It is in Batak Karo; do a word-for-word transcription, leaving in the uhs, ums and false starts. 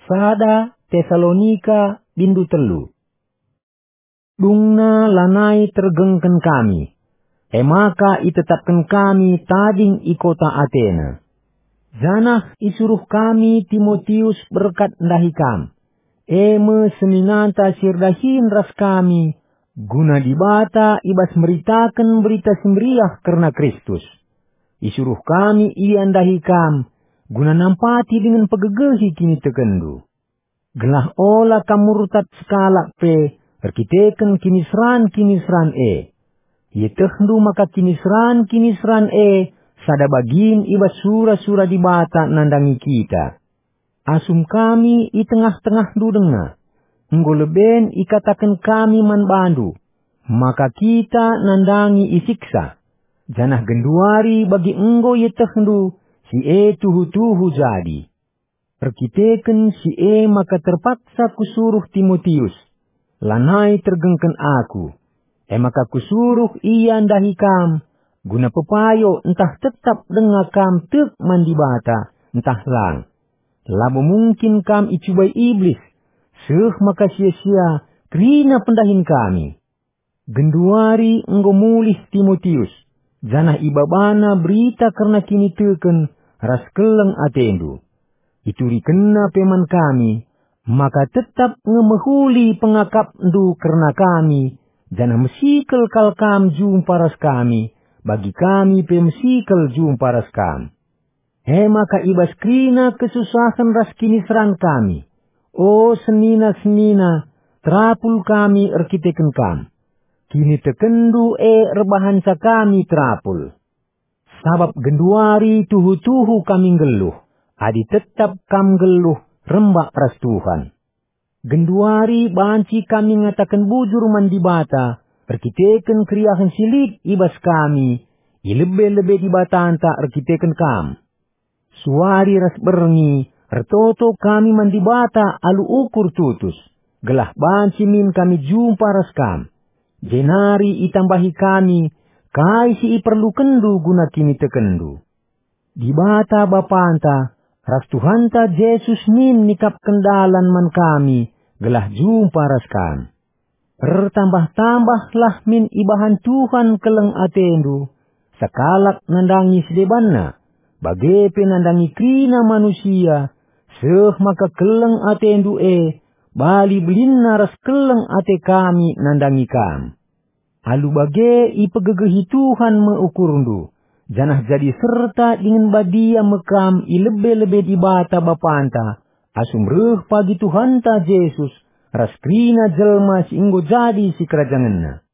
Sada Tesalonika bindu telu. Dungna lanai tergengken kami, e maka itetapken kami tading i kota Atena. Janah isuruh kami Timotius berkat ndahi kam, e me seninanta si erdahin ras kami, guna Dibata i bas meritaken Berita Si Meriah kerna Kristus. Isuruh kami ia ndahi kam, guna nampati dingen pegegehi kinitekenndu. Gelah ola kam murtad sekalak pe erkiteken kiniseran-kiniseran e. Ietehndu maka kiniseran-kiniseran e sada bagin i bas sura-sura Dibata nandangi kita. Asum kami i tengah-tengahndu denga, enggo leben ikataken kami man bandu, maka kita nandangi isiksa, janah genduari bagi enggo ietehndu si e tuhu-tuhu jadi. Erkiteken si e maka terpaksa kusuruh Timotius, lanai tergengken aku, e maka kusuruh ia ndahi kam, guna pepayo ntah tetap denga kam tek man Dibata, ntah lang. Labo mungkin kam icubai Iblis, seh maka sia-sia kerina pendahin kami. Genduari enggo mulih Timotius, janah ibabana berita kerna kiniteken ras keleng atendu. Iturikenna pe man kami, maka tetap nge mehuli pengakapndu kerna kami, janah mesikel kal kam jumpa ras kami, bagi kami pe mesikel jumpa ras kam. E maka i bas kerina kesusahen ras kiniseran kami, o senina-senina, terapul kami erkiteken kam. Kinitekenndu e erbahanca kami terapul. Sabap genduari tuhu-tuhu kami nggeluh, adi tetap kam nggeluh rembak ras Tuhan. Genduari banci kami ngataken bujur man Dibata erkiteken keriahen si lit i bas kami i lebe-lebe Dibatanta erkiteken kam. Suari ras berngi ertoto kami man Dibata alu ukur tutus, gelah banci min kami jumpa ras kam. Jenari itambahi kami kai si iperlukenndu guna kinitekenndu. Dibata Bapanta ras Tuhanta Jesus min nikapken dalan man kami gelah jumpa ras kam. Ertambah-tambahlah min ibahan Tuhan keleng atendu, sekalak nandangi si debanna, bage pe nandangi kerina manusia, seh maka keleng atendu e bali belinna ras keleng ate kami nandangi kam. Alu bage ipegegehi Tuhan me ukurndu, janah jadi serta dingen badia me kam i lebe-lebe Dibata Bapanta, asum reh pagi Tuhanta Jesus ras kerina jelma si enggo jadi sikerajangenNa.